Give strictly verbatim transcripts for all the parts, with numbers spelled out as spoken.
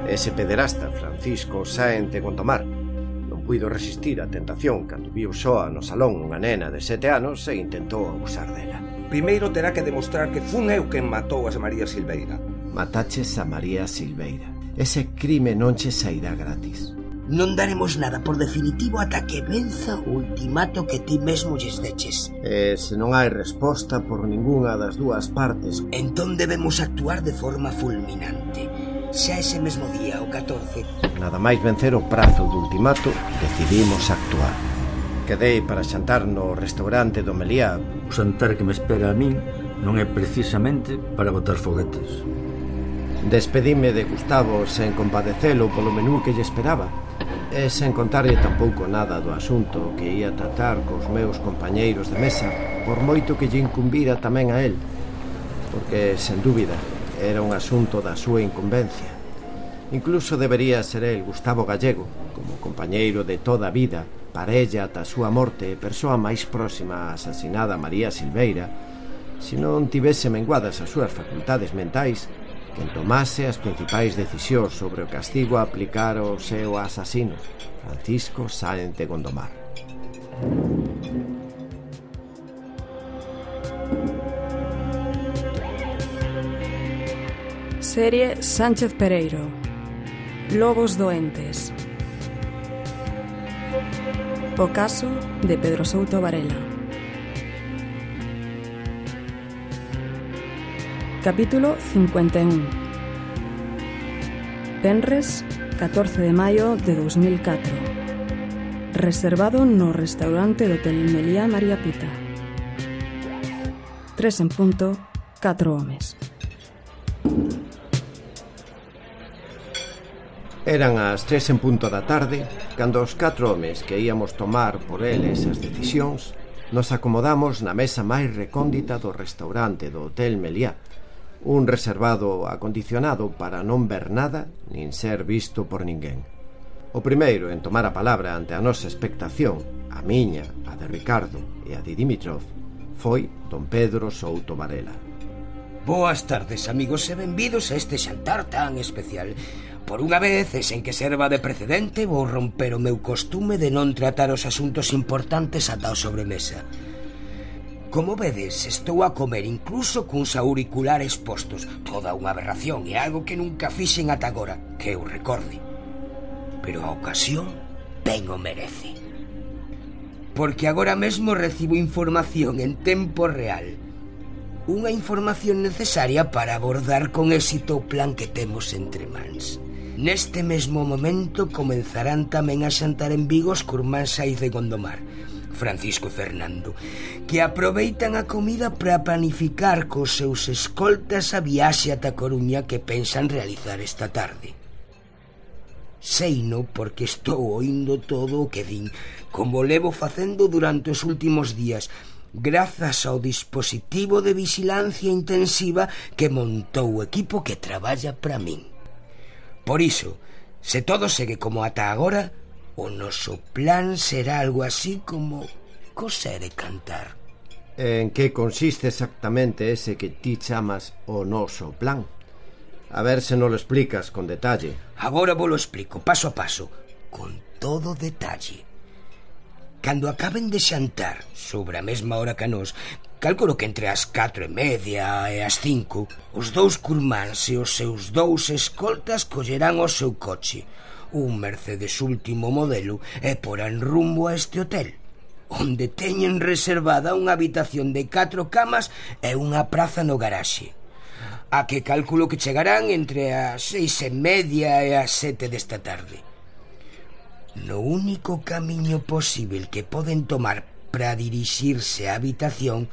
Ese pederasta, Francisco Sáenz de Gondomar, non puido resistir a tentación cando viu soa no salón unha nena de sete anos e intentou abusar dela. Primeiro terá que demostrar que fun eu quen matou a María Silveira. Mataches a María Silveira. Ese crime non che sairá gratis. Non daremos nada por definitivo ata que venza o ultimato que ti mesmo lles deches. E se non hai resposta por ningunha das dúas partes, entón debemos actuar de forma fulminante. Xa ese mesmo día, o catorce... Nada máis vencer o prazo do ultimato, decidimos actuar. Quedei para xantar no restaurante do Meliá. O xantar que me espera a min non é precisamente para botar foguetes. Despedime de Gustavo sen compadecelo polo menú que lle esperaba e sen contarlle tampouco nada do asunto que ia tratar cos meus compañeiros de mesa, por moito que lle incumbira tamén a él, porque, sen dúbida, era un asunto da súa incumbencia. Incluso debería ser el, Gustavo Gallego, como compañeiro de toda a vida, parella ata a súa morte e persoa máis próxima á asasinada María Silveira, se non tivese menguadas as súas facultades mentais, quen tomase as principais decisións sobre o castigo a aplicar ao seu asasino, Francisco Sáenz de Gondomar. Serie Sánchez Pereiro. Lobos doentes. O caso de Pedro Souto Varela. Capítulo cincuenta e un. Venres, catorce de maio de dos mil catro. Reservado no restaurante do Hotel Meliá María Pita. Tres en punto, catro homes. Eran as tres en punto da tarde, cando os catro homes que íamos tomar por eles as decisións nos acomodamos na mesa máis recóndita do restaurante do Hotel Meliá, un reservado acondicionado para non ver nada nin ser visto por ninguén. O primeiro en tomar a palabra ante a nosa expectación, a miña, a de Ricardo e a de Dimitrov, foi don Pedro Souto Varela. Boas tardes, amigos, e benvidos a este xantar tan especial. Por unha vez, e sen que serva de precedente, vou romper o meu costume de non tratar os asuntos importantes ata o sobremesa. Como vedes, estou a comer incluso cuns auriculares postos. Toda unha aberración e algo que nunca fixen ata agora, que eu recorde. Pero a ocasión ben o merece. Porque agora mesmo recibo información en tempo real. Unha información necesaria para abordar con éxito o plan que temos entre mans. Neste mesmo momento comenzarán tamén a xantar en Vigo os curmáns Sáenz de Gondomar, Francisco e Fernando, que aproveitan a comida para planificar cos seus escoltas a viaxe ata Coruña que pensan realizar esta tarde. Seino porque estou oindo todo o que din, como levo facendo durante os últimos días, grazas ao dispositivo de vigilancia intensiva que montou o equipo que traballa para min. Por iso, se todo segue como ata agora, o noso plan será algo así como coser e cantar. En que consiste exactamente ese que ti chamas o noso plan? A ver se non lo explicas con detalle. Agora vos lo explico, paso a paso, con todo detalle. Cando acaben de xantar, sobre a mesma hora que a nós, calculo que entre as catro e media e as cinco, os dous curmáns e os seus dous escoltas collerán o seu coche, un Mercedes último modelo, e porán rumbo a este hotel, onde teñen reservada unha habitación de catro camas e unha praza no garaxe, a que calculo que chegarán entre as seis e media e as sete desta tarde. No único camiño posible que poden tomar para dirixirse á habitación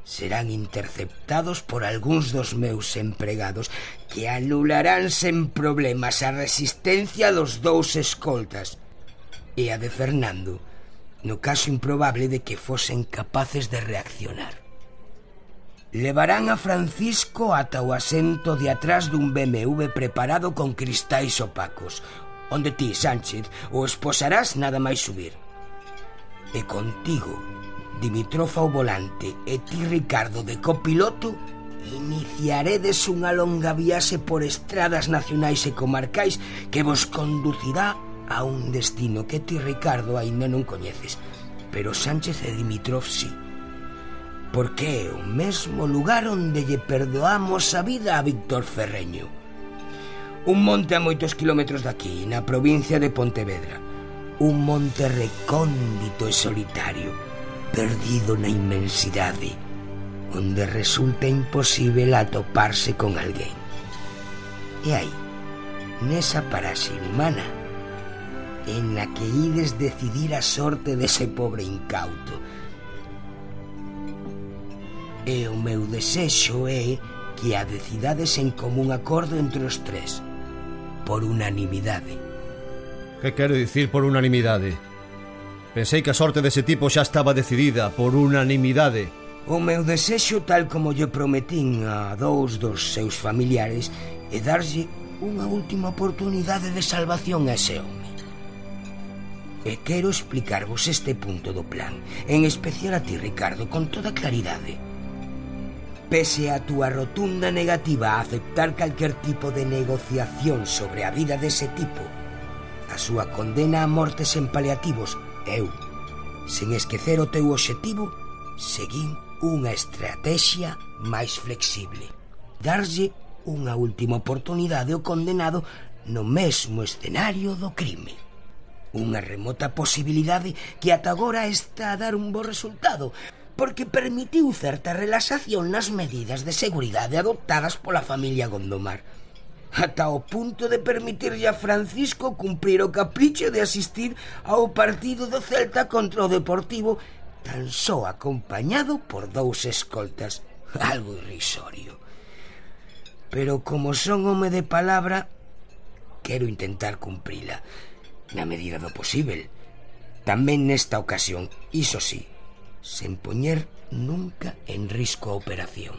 serán interceptados por algúns dos meus empregados que anularán sen problemas a resistencia dos dous escoltas e a de Fernando, no caso improbable de que fosen capaces de reaccionar. Levarán a Francisco ata o asento de atrás dun B M W preparado con cristais opacos, onde ti, Sánchez, o esposarás nada máis subir. E contigo, Dimitrov ao volante, e ti, Ricardo, de copiloto, iniciaredes unha longa viaxe por estradas nacionais e comarcais que vos conducirá a un destino que ti, Ricardo, aínda non coñeces, pero Sánchez e Dimitrov sí, porque é o mesmo lugar onde lle perdoamos a vida a Víctor Ferreño. Un monte a moitos kilómetros daqui, na provincia de Pontevedra. Un monte recóndito e solitario, perdido na inmensidade, onde resulta imposible atoparse con alguén. E aí, nesa paraxe inhumana, en la que ides decidir a sorte dese pobre incauto. E o meu desexo é que a decidades en común acordo entre os tres, por unanimidade. Que quero dicir por unanimidade? Pensei que a sorte dese tipo xa estaba decidida por unanimidade. O meu desexo, tal como lle prometín a dous dos seus familiares, é darlle unha última oportunidade de salvación a ese home. E quero explicarvos este punto do plan, en especial a ti, Ricardo, con toda claridade. Pese a túa rotunda negativa a aceptar calquer tipo de negociación sobre a vida dese tipo, a súa condena a morte sen paliativos, eu, sen esquecer o teu obxectivo, seguín unha estrategia máis flexible. Darlle unha última oportunidade ao condenado no mesmo escenario do crime. Unha remota posibilidade que ata agora está a dar un bo resultado, porque permitiu certa relaxación nas medidas de seguridade adoptadas pola familia Gondomar, ata o punto de permitirlle a Francisco cumprir o capricho de asistir ao partido do Celta contra o Deportivo, tan só acompañado por dous escoltas, algo irrisorio. Pero como son home de palabra, quero intentar cumprila, na medida do posible. Tamén nesta ocasión, iso sí, sen poñer nunca en risco a operación.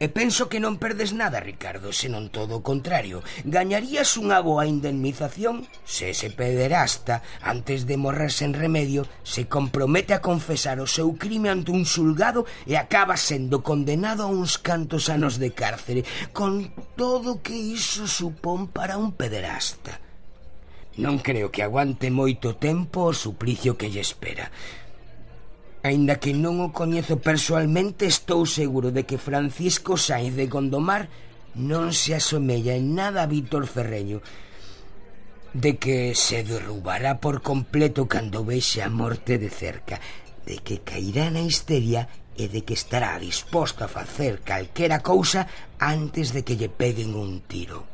E penso que non perdes nada, Ricardo, senón todo o contrario. Gañarías unha boa indemnización se ese pederasta, antes de morrer sen remedio, se compromete a confesar o seu crime ante un xulgado e acaba sendo condenado a uns cantos anos de cárcere, con todo o que iso supón para un pederasta. Non creo que aguante moito tempo o suplicio que lle espera. Aínda que non o coñezo persoalmente, estou seguro de que Francisco Sainz de Gondomar non se asomella en nada a Víctor Ferreño, de que se derrubará por completo cando vexe a morte de cerca, de que cairá na histeria e de que estará disposto a facer calquera cousa antes de que lle peguen un tiro.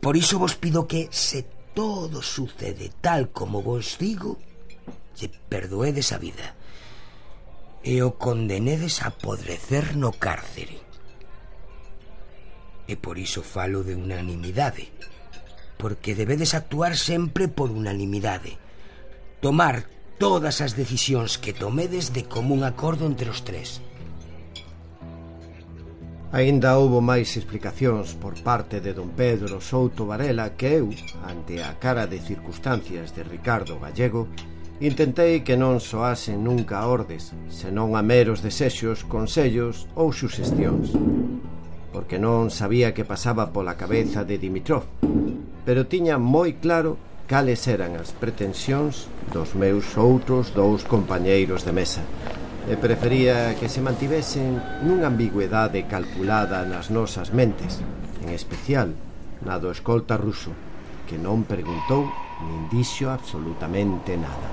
Por iso vos pido que, se todo sucede tal como vos digo, lle perdoedes a vida e o condenedes a podrecer no cárcere. E por iso falo de unanimidade, porque debedes actuar sempre por unanimidade, tomar todas as decisións que tomedes de común acordo entre os tres. Aínda houbo máis explicacións por parte de don Pedro Souto Varela que eu, ante a cara de circunstancias de Ricardo Gallego, intentei que non soasen nunca a ordes, senón a meros desexos, consellos ou suxestións, porque non sabía que pasaba pola cabeza de Dimitrov, pero tiña moi claro cales eran as pretensións dos meus outros dous compañeiros de mesa, e prefería que se mantivesen nunha ambigüedade calculada nas nosas mentes, en especial na do escolta ruso, que non preguntou nin dixo absolutamente nada.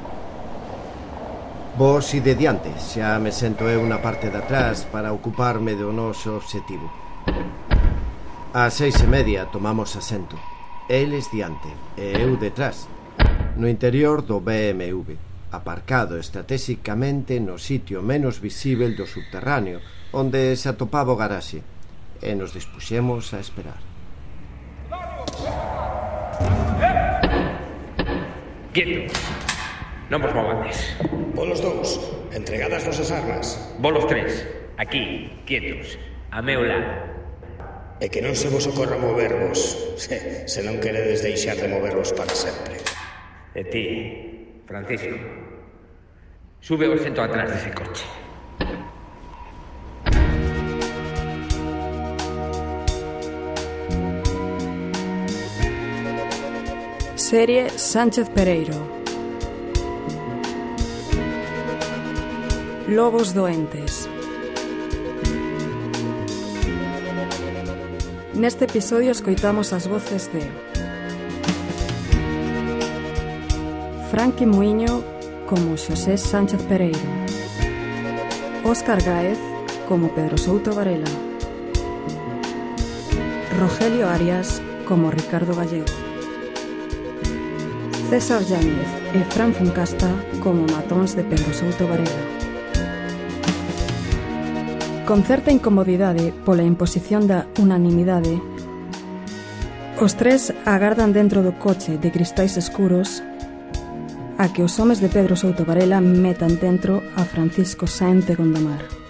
Vos ide diante, xa me sento eu na parte de atrás para ocuparme do noso obxectivo. Ás seis e media tomamos asento, eles diante e eu detrás, no interior do B M W, aparcado estratégicamente no sitio menos visível do subterráneo, onde se atopaba o garaxe, e nos dispuxemos a esperar. Quieto. Non vos movades. Volos dous, entregadas vosas armas. Volos tres, aquí, quietos, a meu lado. E que non se vos ocorra movervos, se, se non queredes deixar de movervos para sempre. E ti, Francisco, sube o sento atrás dese coche. Serie Sánchez Pereiro. Lobos doentes. Neste episodio escoitamos as voces de Franqui Muiño como Xosé Sánchez Pereiro, Óscar Gáez como Pedro Souto Varela, Rogelio Arias como Ricardo Gallego, César Yáñez e Fran Funcasta como matóns de Pedro Souto Varela. Con certa incomodidade pola imposición da unanimidade, os tres agardan dentro do coche de cristais escuros a que os homes de Pedro Souto Varela metan dentro a Francisco Sáenz de Gondomar.